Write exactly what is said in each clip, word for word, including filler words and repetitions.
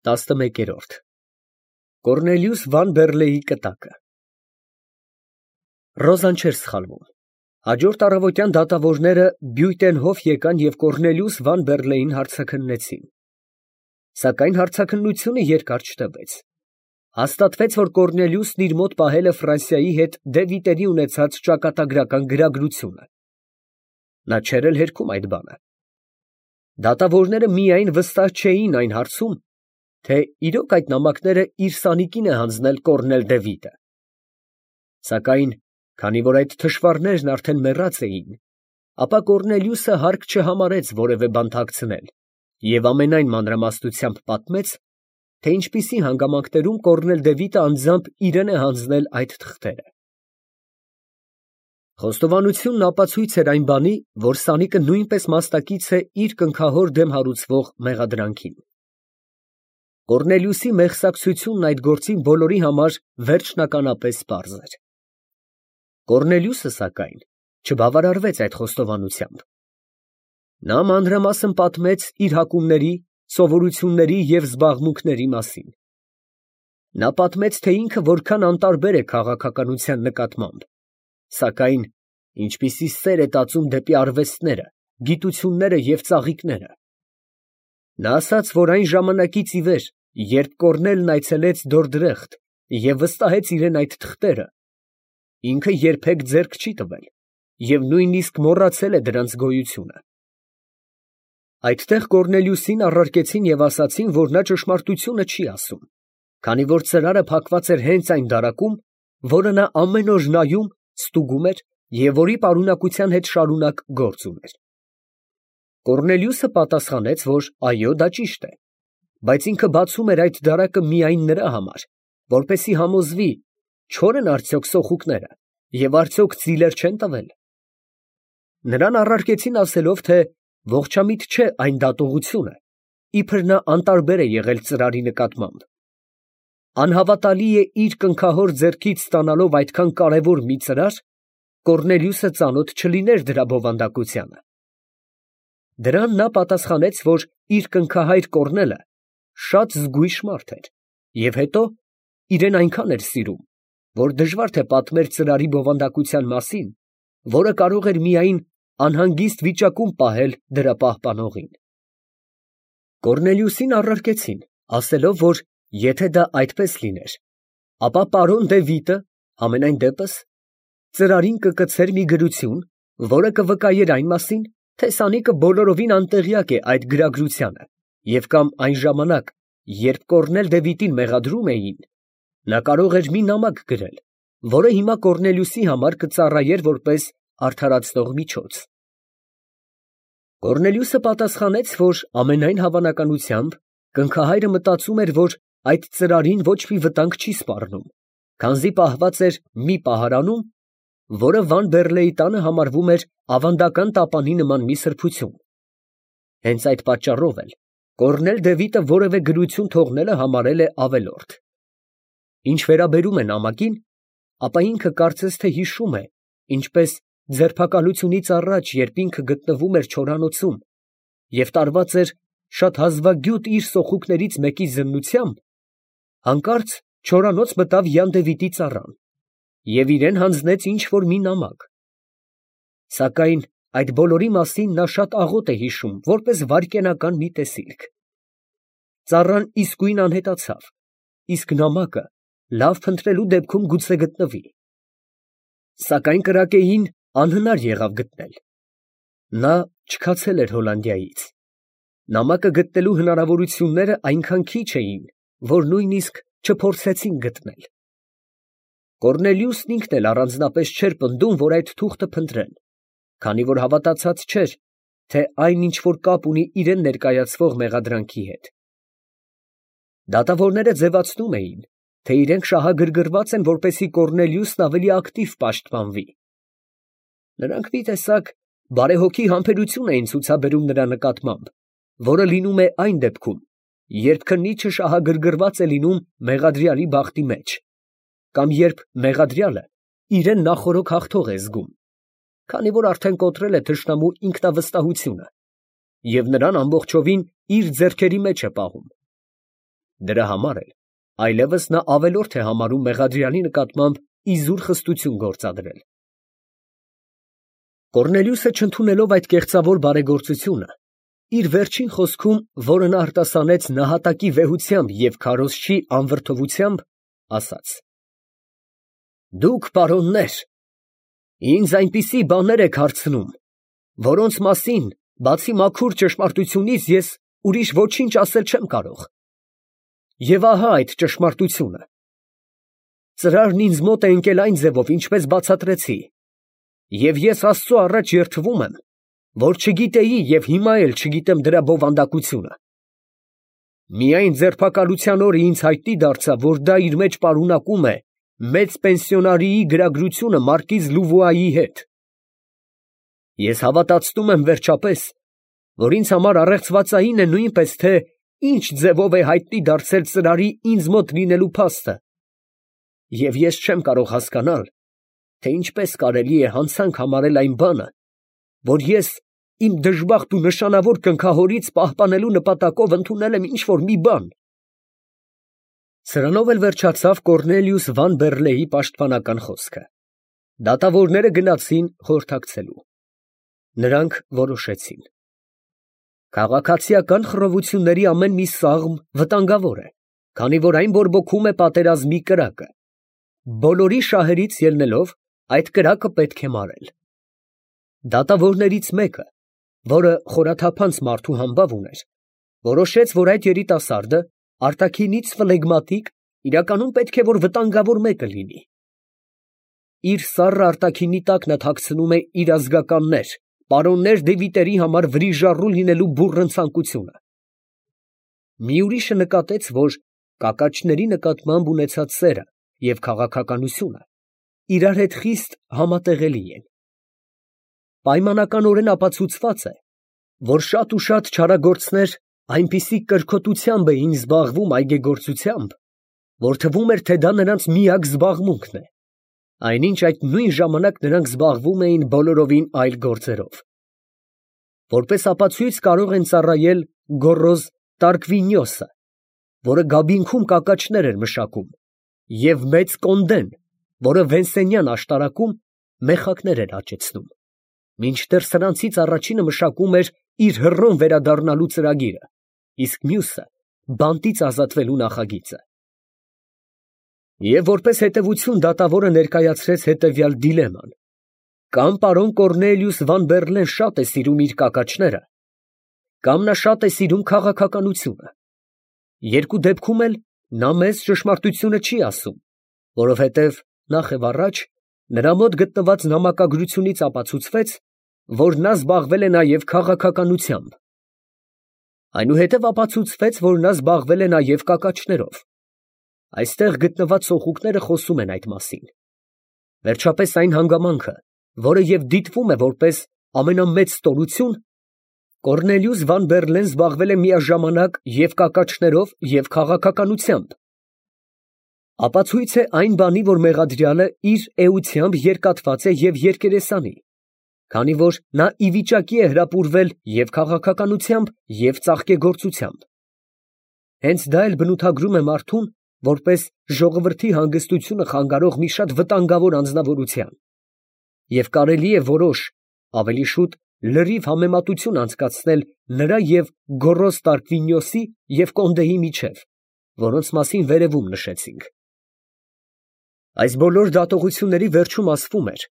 տասնմեկերորդ Կոռնելիուս Վան Բեռլեի կտակը Ռոզան չէր սխալվում։ Հաջորդ առավոտյան դատավորները Բյուտենհոֆ եկան և Կոռնելիուս Վան Բեռլեին հարցաքննեցին։ Սակայն հարցաքննությունը երկար չտևեց։ Հաստատվեց, որ Կոռնելիուսն իր մոտ պահել է Ֆրանսիայի հետ դե Վիտենի ունեցած ճակատագրական գրագրությունը։ Նա չէր էլ հերքում այդ բանը։ Դատավորները միայն վստահ չէին այն հարցում, թե իրոք այդ նամակները իր սանիկին է հանձնել Կոռնել դե Վիտը։ Սակայն, քանի որ այդ թշվառներն արդեն մեռած էին, ապա Կոռնելիուսը հարկ չհամարեց որևէ բան թաքցնել և ամենայն մանրամասնությամբ պատմեց, թե ինչպիսի հանգամանքներում Կոռնել դե Վիտը անձամբ իրան է հանձնել այդ թղթերը։ Խոստովանությունն ապացույց էր այն բանի, որ սանիկը նույնպես մասնակից է իր կնքահոր դեմ հարուցվող մեղադրանքին։ Կոռնելիուսի մեղսակցությունն այդ գործին բոլորի համար վերջնականապես պարզ էր։ Կոռնելիուսը, սակայն, չբավարարվեց այդ խոստովանությամբ։ Նա մանրամասն պատմեց իր հակումների, սովորությունների և զբաղմունքների մասին։ Նա պատմեց, թե ինքը որքան անտարբեր է քաղաքականության նկատմամբ, սակայն ինչպիսի սեր է տածում դեպի արվեստները, գիտությունները և ծաղիկները։ Նա ասաց, որ այն ժամանակից ի վեր, երբ Կոռնելն այցելեց Դորդրեխտ և վստահեց իրան այդ թղթերը, ինքը երբեք ձեռք չի տվել և նույնիսկ մոռացել է դրանց գոյությունը։ Այդտեղ Կոռնելիուսին առարկեցին և ասացին, որ նա ճշմարտությունը չի ասում, քանի որ ծրարը փակված էր հենց այն դարակում, որը նա ամեն օր նայում, ստուգում էր և որի պարունակության հետ շարունակ գործ ուներ։ Կոռնելիուսը պատասխանեց, որ այո, դա ճիշտ է, բայց ինքը բացում էր այդ դարակը միայն նրա համար, որպեսզի համոզվի, չո՞ր են արդյոք սոխուկները և արդյոք ծիլեր չեն տվել։ Նրան առարկեցին ասելով, թե ողջամիտ չէ այն դատողությունը, իբր նա անտարբեր է եղել ծրարի նկատմամբ։ Անհավատալի է իր կնքահոր ձեռքից ստանալով այդքան կարևոր մի ծրար, Կոռնելիուսը ծանոթ չլիներ դրա բովանդակությանը։ Դրան նա պատասխանեց, որ իր կնքահայր Կոռնելը շատ զգույշ մարդ էր և հետո իրան այնքան էր սիրում, որ դժվար թե պատմեր ծրարի բովանդակության մասին, որը կարող էր միայն անհանգիստ վիճակում պահել դրա պահպանողին։ Կոռնելիուսին առարկեցին, ասելով, որ եթե դա այդպես լիներ, ապա պարոն դե Վիտը համենայն դեպս ծրարին կկցեր մի գրություն, որը կվկայեր այն մասին, թե սանիկը բոլորովին անտեղյակ է այդ գրագրությանը, և կամ այն ժամանակ, երբ Կոռնել դե Վիտին մեղադրում էին, նա կարող էր մի նամակ գրել, որը հիմա Կոռնելիուսի համար կծառայեր որպես արդարացնող միջոց։ Կոռնելիուսը պատասխանեց, որ ամենայն հավանականությամբ կնքահայրը մտածում էր, որ այդ ծրարին ոչ մի վտանգ չի սպառնում, քանզի պահված էր մի պահարանում, որը Վան Բեռլեի տանը համարվում էր ավանդական տապանի նման մի սրբություն։ Հենց այդ պատճառով էլ Կոռնել դե Վիտը որևէ գրություն թողնելը համարել է ավելորդ։ Ինչ վերաբերում է նամակին, ապա ինքը կարծես թե հիշում է, ինչպես ձերբակալությունից առաջ, երբ ինքը գտնվում էր չորանոցում և տարված էր շատ հազվագյուտ իր սոխուկներից մեկի զննությամբ, հանկարծ չորանոց մտավ Յան դե Վիտի ծառան և իրան հանձնեց ինչ֊որ մի նամակ։ Սակայն այդ բոլորի մասին նա շատ աղոտ է հիշում, որպես վայրկենական մի տեսիլք։ Ծառան իսկույն անհետացավ, իսկ նամակը լավ փնտրելու դեպքում գուցե գտնվի։ Սակայն կրակեին անհնար եղավ գտնել։ Նա չքացել էր Հոլանդիայից։ Նամակը գտնելու հնարավորությունները այնքան քիչ էին, որ նույնիսկ չփորձեցին գտնել։ Կոռնելիուսն ինքն էլ առանձնապես չէր պնդում, որ այդ թուղթը փնտրեն, քանի որ հավատացած չէր, թե այն ինչ֊որ կապ ունի իրան ներկայացվող մեղադրանքի հետ։ Դատավորները ձևացնում էին, թե իրենք շահագրգռված են, որպեսզի Կոռնելիուսն ավելի ակտիվ պաշտպանվի։ Նրանք մի տեսակ բարեհոգի համբերություն էին ցուցաբերում նրա նկատմամբ, որը լինում է այն դեպքում, երբ քննիչը շահագրգռված է լինում մեղադրյալի բախտի մեջ, կամ երբ մեղադրյալը իրան նախօրոք հաղթող է զգում, քանի որ արդեն կոտրել է թշնամու ինքնավստահությունը և նրան ամբողջովին իր ձեռքերի մեջ է պահում։ Դրա համար էլ այլևս նա ավելորդ է համարում մեղադրյալի նկատմամբ իզուր խստություն գործադրել։ Կոռնելիուսը չընդունելով այդ կեղծավոր բարեգործությունը, իր վերջին խոսքում, որը նա արտասանեց նահատակի վեհությամբ և քարոզչի անվրդովությամբ, ասաց. «Դուք, պարոններ, ինձ այնպիսի բաներ եք հարցնում, որոնց մասին, բացի մաքուր ճշմարտությունից, ես ուրիշ ոչինչ ասել չեմ կարող։ Եվ ահա այդ ճշմարտությունը. ծրարն ինձ մոտ է ընկել այն ձևով, ինչպես բացատրեցի, և ես Աստծու առաջ երդվում եմ, որ չգիտեի և հիմա էլ չգիտեմ դրա բովանդակությունը։ Միայն ձերբակալության օրը ինձ հայտնի դարձավ, որ դա իր մեջ պարունակում է մեծ պենսիոնարիի գրագրությունը մարկիզ Լուվուայի հետ։ Ես հավատացնում եմ վերջապես, որ ինձ համար առեղծվածային է նույնպես, թե ինչ ձևով է հայտնի դարձել ծրարի ինձ մոտ լինելու փաստը, և ես չեմ կարող հասկանալ, թե ինչպես կարելի է հանցանք համարել այն բանը, որ ես իմ դժբախտ ու նշանավոր կնքահորից պահպանելու նպատակով ընդունել եմ ինչ֊որ մի բան»։ Սրանով էլ վերջացավ Կոռնելիուս Վան պաշտպանական խոսքը։ Դատավորները գնացին խորհրդակցելու։ Նրանք որոշեցին. քաղաքացիական խռովությունների ամեն մի սաղմ վտանգավոր է, քանի որ այն բորբոքում է պատերազմի կրակը։ Բոլորի շահերից ելնելով, այդ կրակը պետք է մարել։ Դատավորներից մեկը, որը խորաթափանց մարդու համբավ ուներ, որոշեց, որ այդ երիտասարդը արտաքինից ֆլեգմատիկ, իրականում պետք է որ վտանգավոր մեկը լինի։ Իր սառը արտաքինի տակ նա թաքցնում է իր ազգականներ, պարոններ Դևիտերի համար վրիժառու լինելու բուռն ցանկությունը։ Մի ուրիշը նկատեց, որ կակաչների նկատմամբ ունեցած սերը և քաղաքականությունը իրար հետ խիստ համատեղելի են։ Պայմանականորեն ապացուցված է, որ շատ ու շատ չարագործներ այնպիսի կրքոտությամբ էին զբաղվում այգեգործությամբ, որ թվում էր, թե դա նրանց միակ զբաղմունքն է, այնինչ այդ նույն ժամանակ նրանք զբաղվում էին բոլորովին այլ գործերով։ Որպես ապացույց կարող են ծառայել Գոռոզ Տարկվինիոսը, որը Գաբինքում կակաչներ էր մշակում, և մեծ Կոնդեն, որը Վենսենյան աշտարակում մեխակներ էր աճեցնում, մինչդեռ սրանցից առաջինը մշակում էր իր հռոմ վերադառնալու ծրագիրը, իսկ մյուսը բանտից ազատվելու նախագիծը։ Եվ որպես հետևություն դատավորը ներկայացրեց հետևյալ դիլեման. կամ պարոն Կոռնելիուս Վան Բեռլեն շատ է սիրում իր կակաչները, կամ նա շատ է սիրում քաղաքականությունը։ Երկու դեպքում էլ նա մեզ ճշմարտությունը չի ասում, որովհետև նախ և առաջ նրա մոտ գտնված նամակագրությունից ապացուցվեց, որ նա զբաղվել է նաև քաղաքականությամբ։ Այնուհետև ապացուցվեց, որ նա զբաղվել է նաև կակաչներով։ Այստեղ գտնված սոխուկները խոսում են այդ մասին։ Վերջապես այն հանգամանքը, որը և դիտվում է որպես ամենամեծ ստորություն, Կոռնելիուս Վան Բեռլեն զբաղվել է միաժամանակ և կակաչներով, և քաղաքականությամբ, ապացույց է այն բանի, որ մեղադրյալը իր էությամբ երկաթված է և երկերեսանի, քանի որ նա ի վիճակի է հրապուրվել և քաղաքականությամբ, և ծաղկեգործությամբ։ Հենց դա էլ բնութագրում է մարդուն որպես ժողովրդի հանգստությունը խանգարող մի շատ վտանգավոր անձնավորության, և կարելի է որոշ, ավելի շուտ լրիվ համեմատություն անցկացնել նրա և Գոռոզ Տարկվինիոսի և Կոնդեի միջև, որոնց մասին վերևում նշեցինք։ Այս բոլոր դատողությունների վերջում ասվում էր,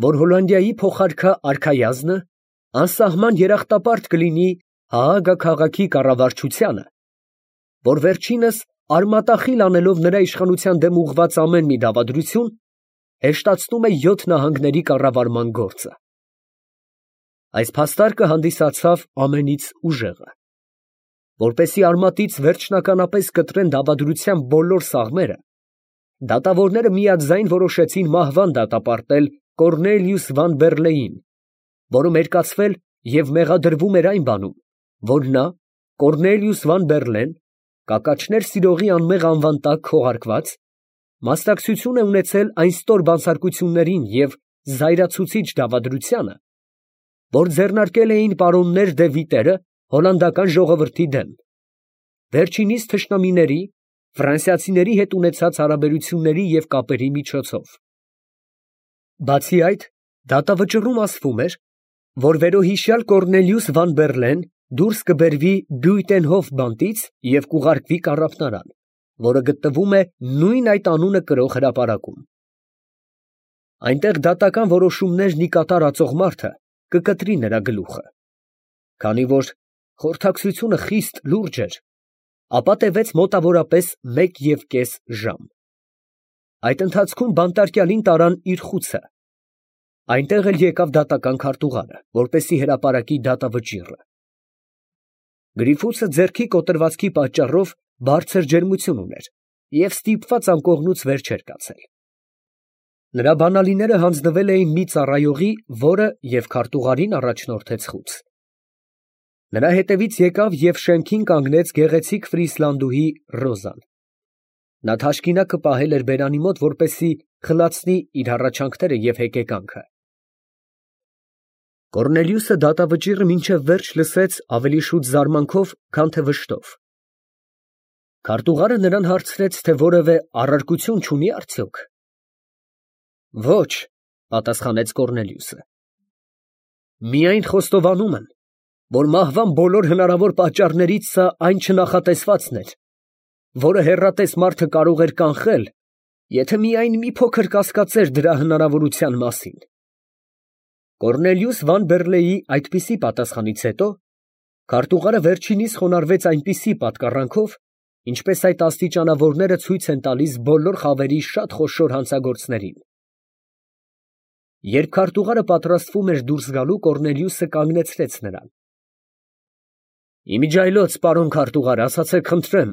որ Հոլանդիայի փոխարքա արքայազնը անսահման երախտապարտ կլինի Հաագա քաղաքի կառավարչությանը, որ վերջինս արմատախիլ անելով նրա իշխանության դեմ ուղղված ամեն մի դավադրություն, հեշտացնում է յոթ նահանգների կառավարման գործը։ Այս փաստարկը հանդիսացավ ամենից ուժեղը։ Որպեսզի արմատից վերջնականապես կտրեն դավադրության բոլոր սաղմերը, դատավորները միաձայն որոշեցին մահվան դատապարտել Կոռնելիուս Վան Բեռլեին, որը մերկացվել և մեղադրվում էր այն բանում, որ նա, Կոռնելիուս Վան Բեռլեն, կակաչներ սիրողի անմեղ անվան տակ քողարկված, մասնակցություն է ունեցել այն ստոր բանսարկություններին և զայրացուցիչ դավադրությանը, որ ձեռնարկել էին պարոններ դե Վիտերը հոլանդական ժողովրդի դեմ, վերջինիս թշնամիների ֆրանսիացիների հետ ունեցած հարաբերությունների և կապերի միջոցով։ Բացի այդ, դատավճռում ասվում էր, որ վերոհիշյալ Կոռնելիուս Վան Բերլեն դուրս կբերվի Բյույտենհոֆ բանտից և կուղարկվի կառափնարան, որը գտնվում է նույն այդ անունը կրող հրապարակում։ Այնտեղ դատական որոշումներն ի կատար ածող մարդը կկտրի նրա գլուխը։ Քանի որ խորհրդակցությունը խիստ լուրջ էր, ապա տևեց մոտավորապես մեկ և կես ժամ։ Այդ ընթացքում բանտարկյալին տարան իր խուցը։ Այնտեղ էլ եկավ դատական քարտուղարը, որպեսզի հրապարակի դատավճիռը։ Գրիֆուսը ձեռքի կոտրվածքի պատճառով բարձր ջերմություն ուներ և ստիպված անկողնուց վեր չէր կացել։ Նրա բանալիները հանձնվել էին մի ծառայողի, որը և քարտուղարին առաջնորդեց խուց։ Նրա հետևից եկավ և շեմքին կանգնեց գեղեցիկ ֆրիսլանդուհի Ռոզան։ Նա թաշկինակը պահել էր բերանի մոտ, որպեսզի խլացնի իր հառաչանքները և հեկեկանքը։ Կոռնելիուսը դատավճիռը մինչև վերջ լսեց ավելի շուտ զարմանքով, քան թե վշտով։ Քարտուղարը նրան հարցրեց, թե որևէ առարկություն չունի արդյոք։ Ոչ, պատասխանեց Կոռնելիուսը։ Միայն խոստովանում եմ, որ մահվան բոլոր հնարավոր պատճառներից սա այն չնախատեսվածն էր, որը հեռատես մարդը կարող էր կանխել, եթե միայն մի փոքր կասկածեր դրա հնարավորության մասին։ Կոռնելիուս Վան Բերլեի այդպիսի պատասխանից հետո քարտուղարը վերջինիս խոնարհվեց այնպիսի պատկառանքով, ինչպես այդ աստիճանավորները ցույց են տալիս բոլոր խավերի շատ խոշոր հանցագործներին։ Երբ քարտուղարը պատրաստվում էր դուրս գալու, Կոռնելիուսը կանգնեցրեց նրան։ Իմիջիայլոց, պարոն քարտուղար, ասացեք խնդրեմ,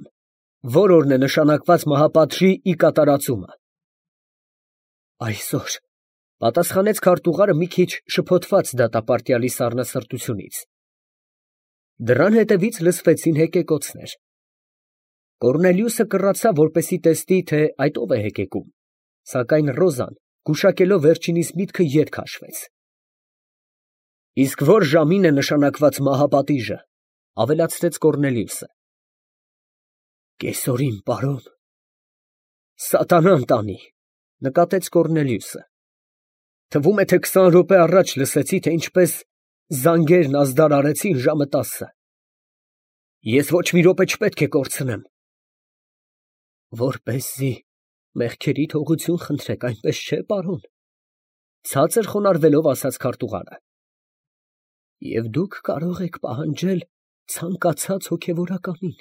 ո՞ր օրն է նշանակված մահապատժի ի կատարածումը։ Այսօր, պատասխանեց քարտուղարը մի քիչ շփոթված դատապարտյալի սառնասրտությունից։ Դռան հետևից լսվեցին հեկեկոցներ։ Կոռնելիուսը կռացավ, որպեսզի տեսնի, թե այդ ով է հեկեկում, սակայն Ռոզան, գուշակելով վերջինիս միտքը, ետ քաշվեց։ Իսկ ո՞ր ժամին է նշանակված մահապատիժը, ավելացրեց Կոռնելիուսը։ Կեսօրին, պարոն։ Սատանան տանի, նկատեց Կոռնելիուսը։ Թվում է, թե քսան րոպե առաջ լսեցի, թե ինչպես զանգերն ազդարարեցին ժամը տասը։ Ես ոչ մի րոպե չպետք է կորցնեմ։ Որպեսզի մեղքերի թողություն խնդրեք, այնպես չէ՞, պարոն, ցածր խոնարհվելով ասաց քարտուղարը։ Եվ դուք կարող եք պահանջել ցանկացած հոգևորականին։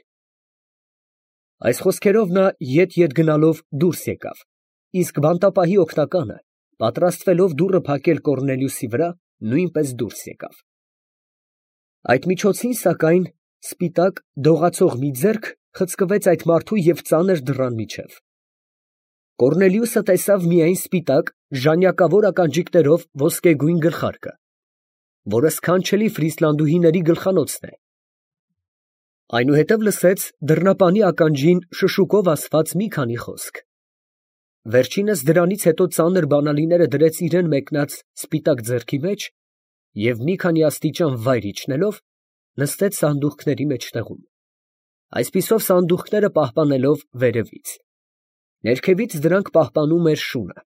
Այս խոսքերով նա ետ֊ետ գնալով դուրս եկավ, իսկ բանտապահի օգնականը, պատրաստվելով դուռը փակել Կոռնելիուսի վրա, նույնպես դուրս եկավ։ Այդ միջոցին, սակայն, սպիտակ դողացող մի ձեռք խցկվեց այդ մարդու և ծանր դռան միջև։ Կոռնելիուսը տեսավ միայն սպիտակ ժանյակավոր ականջիկներով ոսկեգույն գլխարկը, որը սքանչելի ֆրիսլանդուհիների գլխանոցն է։ Այնուհետև լսեց դռնապանի ականջին շշուկով ասված մի քանի խոսք։ Վերջինս դրանից հետո ծանր բանալիները դրեց իրան մեկնած սպիտակ ձեռքի մեջ և մի քանի աստիճան վայր իջնելով, նստեց սանդուղքների մեջտեղում, այսպիսով սանդուղքները պահպանելով վերևից։ Ներքևից դրանք պահպանում էր շունը։